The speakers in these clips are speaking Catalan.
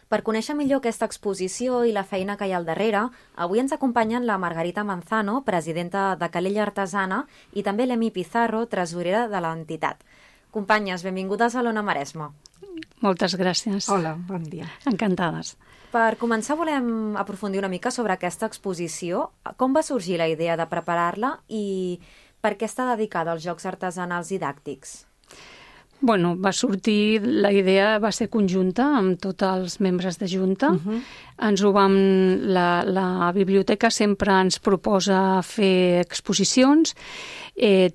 Per conèixer millor aquesta exposició i la feina que hi ha al darrere, avui ens acompanyen la Margarita Manzano, presidenta de Calella Artesana, i també l'Emi Pizarro, tresorera de l'entitat. Companyes, benvingudes a l'Ona Maresme. Moltes gràcies. Hola, bon dia. Encantades. Per començar, volem aprofundir una mica sobre aquesta exposició. Com va sorgir la idea de preparar-la i per què està dedicada als jocs artesanals didàctics? Bueno, la idea va ser conjunta amb tots els membres de Junta. La biblioteca sempre ens proposa fer exposicions,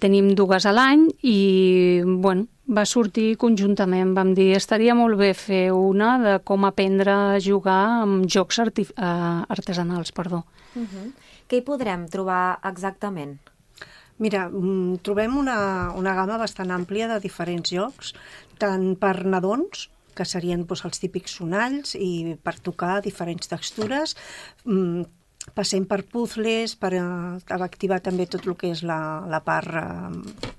tenim 2 a l'any i, bueno, va sortir conjuntament. Vam dir, estaria molt bé fer una de com aprendre a jugar amb jocs artesanals. Què hi podrem trobar exactament? Mira, trobem una gamma bastant àmplia de diferents jocs, tant per nadons, que serien els típics sonalls, i per tocar diferents textures, passem per puzzles, per activar també tot el que és la part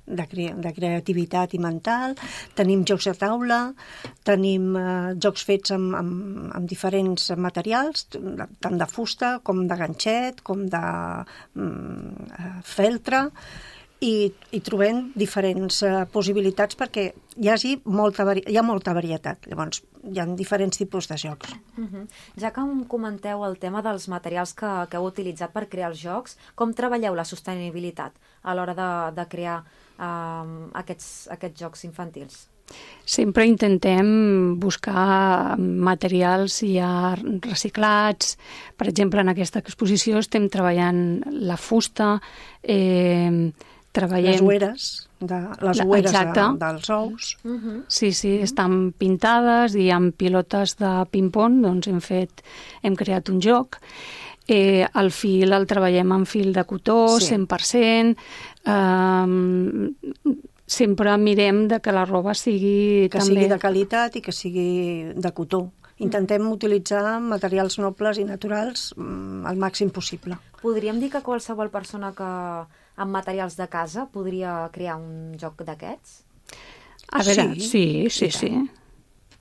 de creativitat i mental. Tenim jocs de taula, tenim jocs fets amb diferents materials, tant de fusta com de ganxet, com de feltre, i trobem diferents possibilitats perquè hi ha molta varietat. Llavors, hi ha diferents tipus de jocs. Ja que em comenteu el tema dels materials que heu utilitzat per crear els jocs, com treballeu la sostenibilitat a l'hora de crear aquests jocs infantils? Sempre intentem buscar materials ja reciclats. Per exemple, en aquesta exposició estem treballant la fusta, les ueres dels ous. Sí, estan pintades i amb pilotes de ping-pong doncs hem creat un joc. El fil el treballem amb fil de cotó, 100%. Sempre mirem que la roba sigui sigui de qualitat i que sigui de cotó. Intentem utilitzar materials nobles i naturals al màxim possible. Podríem dir que qualsevol persona que amb materials de casa podria crear un joc d'aquests? A veure, sí.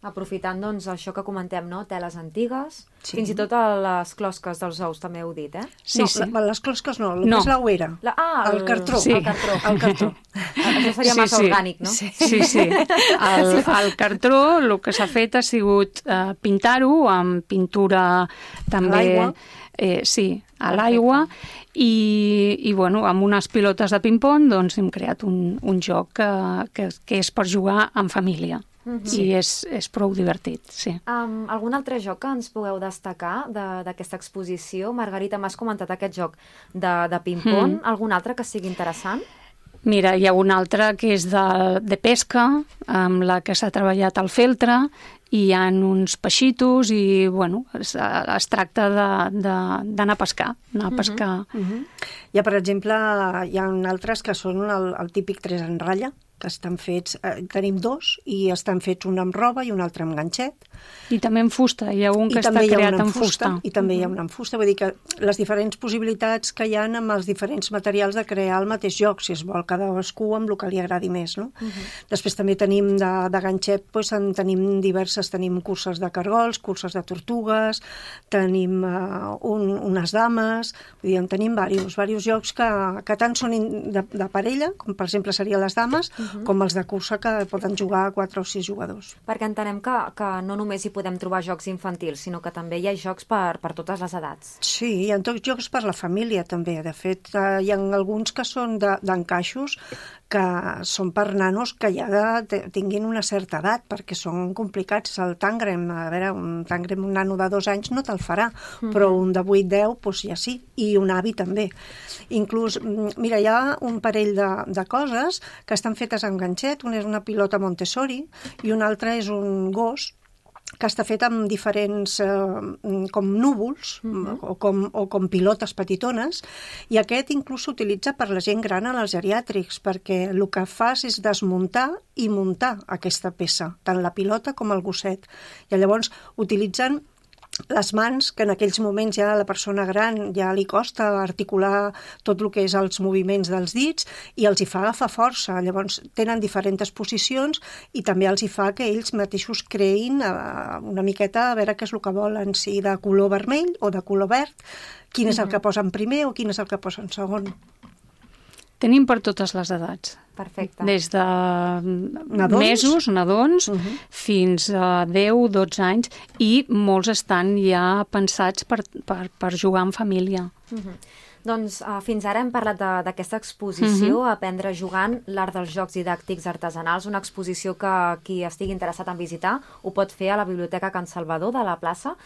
Aprofitant, doncs, això que comentem, no? Teles antigues, fins i tot les closques dels ous, també heu dit, Sí. Les closques no, el que és l'ouera. El cartró. Sí. El cartró. Això seria massa orgànic, no? Sí. El cartró, el que s'ha fet ha sigut pintar-ho amb pintura també... A l'aigua. A l'aigua, i bueno, amb unes pilotes de ping-pong doncs hem creat un joc que és per jugar en família. I és prou divertit, sí. Algun altre joc que ens pugueu destacar d'aquesta exposició? Margarita, m'has comentat aquest joc de ping-pong. Algun altre que sigui interessant? Mira, hi ha un altre que és de pesca, amb la que s'ha treballat el feltre, i hi ha uns peixitos i, bueno, es tracta d'anar a pescar. Hi ha, per exemple, altres que són el típic 3 en ratlla, que estan fets, tenim 2, i estan fets un amb roba i un altre amb ganxet. I també en fusta, hi ha un que està creat en fusta. I també hi ha un en fusta, vull dir que les diferents possibilitats que hi ha amb els diferents materials de crear el mateix joc, si es vol cadascú amb el que li agradi més, no? Després també tenim de ganxet, tenim diverses, tenim curses de cargols, curses de tortugues, tenim unes dames, vull dir, en tenim diversos jocs que tant són de parella, com per exemple serien les dames, com els de cursa que poden jugar 4 o 6 jugadors. Perquè entenem que no només hi podem trobar jocs infantils, sinó que també hi ha jocs per totes les edats. Sí, hi ha tots jocs per la família també. De fet, hi ha alguns que són d'encaixos, que són per nanos que ja tinguin una certa edat, perquè són complicats. El tàngrem, a veure, un nano de 2 anys no te'l farà, però un de 8-10, doncs ja sí, i un avi també. Inclús, mira, hi ha un parell de coses que estan fetes amb ganxet, una és una pilota Montessori i una altra és un gos que està fet amb diferents com núvols o com pilotes petitones, i aquest inclús s'utilitza per la gent gran en els geriàtrics, perquè el que fas és desmuntar i muntar aquesta peça, tant la pilota com el gosset. I llavors utilitzen les mans, que en aquells moments ja a la persona gran ja li costa articular tot el que és els moviments dels dits i els hi fa agafar força. Llavors tenen diferents posicions i també els hi fa que ells mateixos creïn una miqueta a veure què és el que volen, si de color vermell o de color verd, quin és el que posen primer o quin és el que posen segon. Tenim per totes les edats. Perfecte. Des de mesos, nadons, fins a 10-12 anys, i molts estan ja pensats per jugar en família. Doncs fins ara hem parlat d'aquesta exposició, Aprendre jugant, l'art dels jocs didàctics artesanals, una exposició que qui estigui interessat en visitar ho pot fer a la Biblioteca Can Salvador de la plaça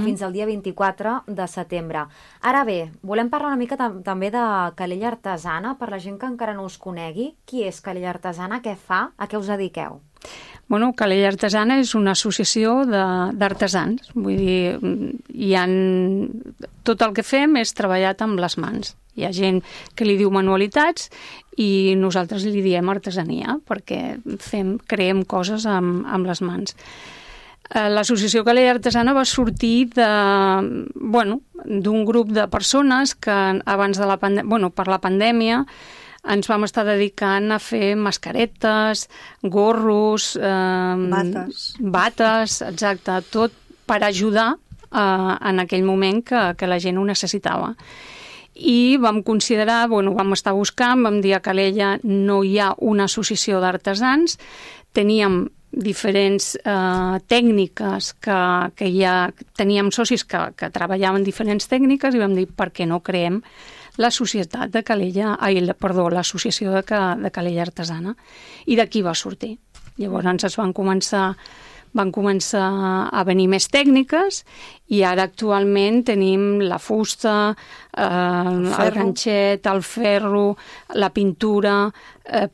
fins al dia 24 de setembre. Ara bé, volem parlar una mica també de Calella Artesana, per la gent que encara no us conegui. Qui és Calella Artesana? Què fa? A què us dediqueu? Bueno, Calella Artesana és una associació d'artesans. Vull dir, tot el que fem és treballat amb les mans. Hi ha gent que li diu manualitats i nosaltres li diem artesania, perquè creem coses amb les mans. L'associació Calella Artesana va sortir d'un grup de persones que abans de per la pandèmia ens vam estar dedicant a fer mascaretes, gorros, bates, exacte, tot per ajudar en aquell moment que la gent ho necessitava. I vam considerar, vam estar buscant, vam dir a Calella no hi ha una associació d'artesans, teníem diferents tècniques que ja teníem socis que treballaven diferents tècniques i vam dir per què no creem l'associació de Calella Artesana, i d'aquí va sortir. Llavors van començar a venir més tècniques i ara actualment tenim la fusta, el ganxet, el ferro, la pintura.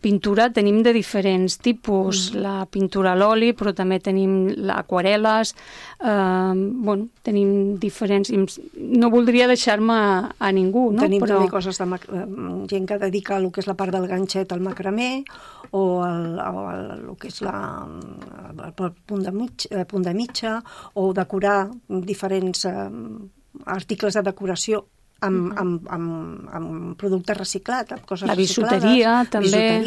Pintura tenim de diferents tipus, la pintura a l'oli, però també tenim aquarel·les, tenim diferents... No voldria deixar-me a ningú, no? Tenim també coses de gent que dedica el que és la part del ganxet al macramé o el que és el punt de mitja, o decorar diferents articles de decoració amb productes reciclats, amb coses reciclades. La bisuteria, també.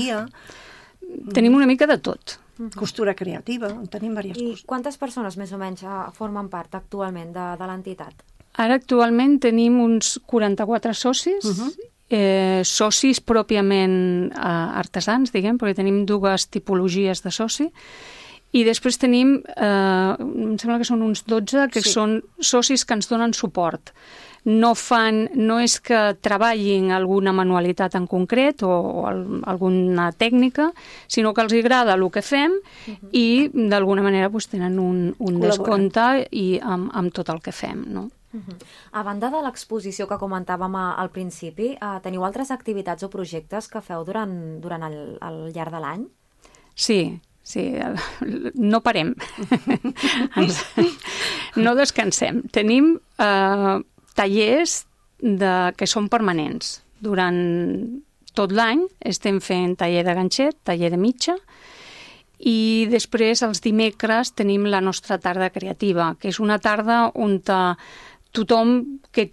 Tenim una mica de tot. Costura creativa, tenim diverses coses. I quantes persones més o menys formen part actualment de l'entitat? Ara actualment tenim uns 44 socis, socis pròpiament artesans, diguem, perquè tenim dues tipologies de soci, i després tenim, em sembla que són uns 12, que són socis que ens donen suport. No és que treballin alguna manualitat en concret o alguna tècnica, sinó que els agrada el que fem i d'alguna manera tenen un descompte amb tot el que fem, no? A banda de l'exposició que comentàvem al principi, teniu altres activitats o projectes que feu durant el llarg de l'any? Sí, no parem. No descansem. Tenim tallers que són permanents. Durant tot l'any estem fent taller de ganxet, taller de mitja, i després els dimecres tenim la nostra tarda creativa, que és una tarda on tothom que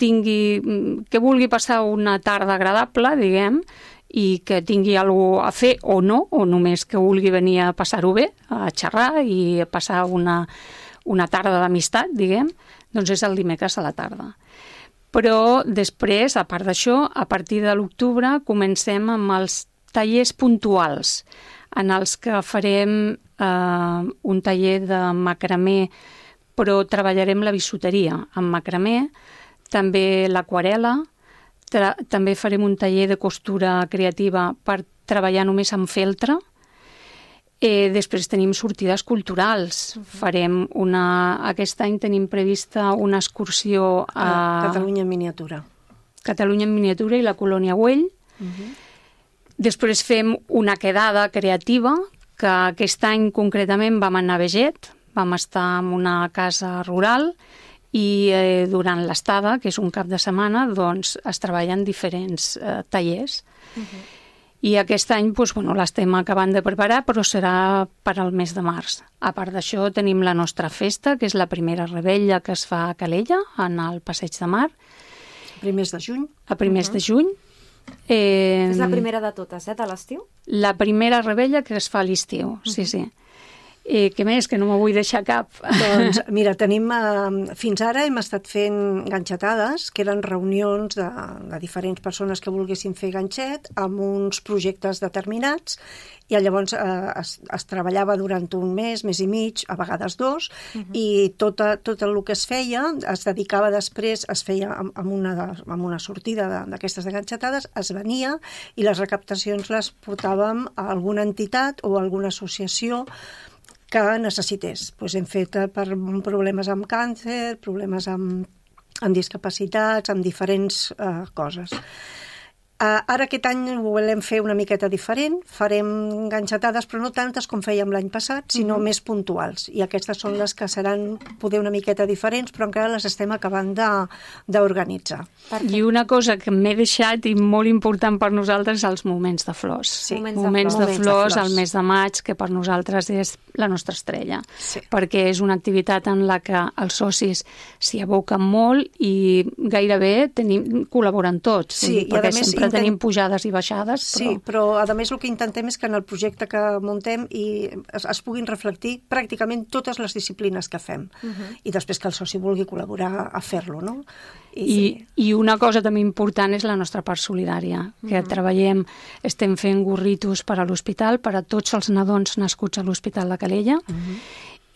vulgui passar una tarda agradable, diguem, i que tingui alguna cosa a fer o no, o només que vulgui venir a passar-ho bé, a xerrar i a passar una tarda d'amistat, diguem, doncs és el dimecres a la tarda. Però després, a part d'això, a partir de l'octubre comencem amb els tallers puntuals, en els que farem un taller de macramé, però treballarem la bisuteria amb macramé, també l'aquarel·la, també farem un taller de costura creativa per treballar només amb feltre. Després tenim sortides culturals. Aquest any tenim prevista una excursió a Catalunya en miniatura. Catalunya en miniatura i la Colònia Güell. Després fem una quedada creativa, que aquest any concretament vam anar a Beget, vam estar en una casa rural i durant l'estada, que és un cap de setmana, doncs es treballen diferents tallers. I aquest any l'estem acabant de preparar, però serà per al mes de març. A part d'això, tenim la nostra festa, que és la primera revetlla que es fa a Calella, en el Passeig de Mar. Primers de juny. A primers de juny. És la primera de totes, de l'estiu? La primera revetlla que es fa a l'estiu, sí. Què més? Que no me vull deixar cap. Doncs mira, tenim... fins ara hem estat fent ganxetades, que eren reunions de diferents persones que volguessin fer ganxet amb uns projectes determinats, i llavors es treballava durant un mes i mig, a vegades 2, i tot el que es feia es dedicava després, es feia amb una sortida d'aquestes ganxetades, es venia i les recaptacions les portàvem a alguna entitat o a alguna associació que necessités. Hem fet per problemes amb càncer, problemes amb discapacitats, amb diferents coses. Ara aquest any ho volem fer una miqueta diferent, farem ganxetades, però no tantes com fèiem l'any passat, sinó més puntuals. I aquestes són les que seran poder una miqueta diferents, però encara les estem acabant d'organitzar. I una cosa que m'he deixat i molt important per nosaltres, els moments de flors. Sí, moments de flors al mes de maig, que per nosaltres és la nostra estrella. Sí. Perquè és una activitat en la que els socis s'hi aboquen molt i gairebé col·laboren tots. Sí, perquè sempre tenim pujades i baixades. Sí, però a més el que intentem és que en el projecte que muntem es puguin reflectir pràcticament totes les disciplines que fem. I després que el soci vulgui col·laborar a fer-lo, no? I una cosa també important és la nostra part solidària, que estem fent gorritos per a l'hospital, per a tots els nadons nascuts a l'Hospital de Calella,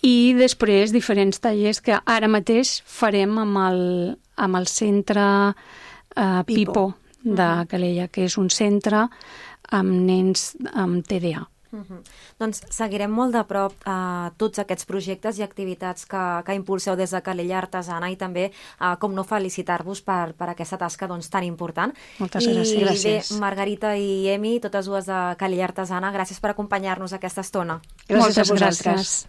i després diferents tallers que ara mateix farem amb el centre Pipo de Calella, que és un centre amb nens amb TDA. Doncs seguirem molt de prop tots aquests projectes i activitats que impulseu des de Calella Artesana, i també, com no, felicitar-vos per aquesta tasca tan important. Moltes gràcies. I bé, Margarita i Emi, totes dues de Calella Artesana, gràcies per acompanyar-nos aquesta estona. Gràcies a vosaltres.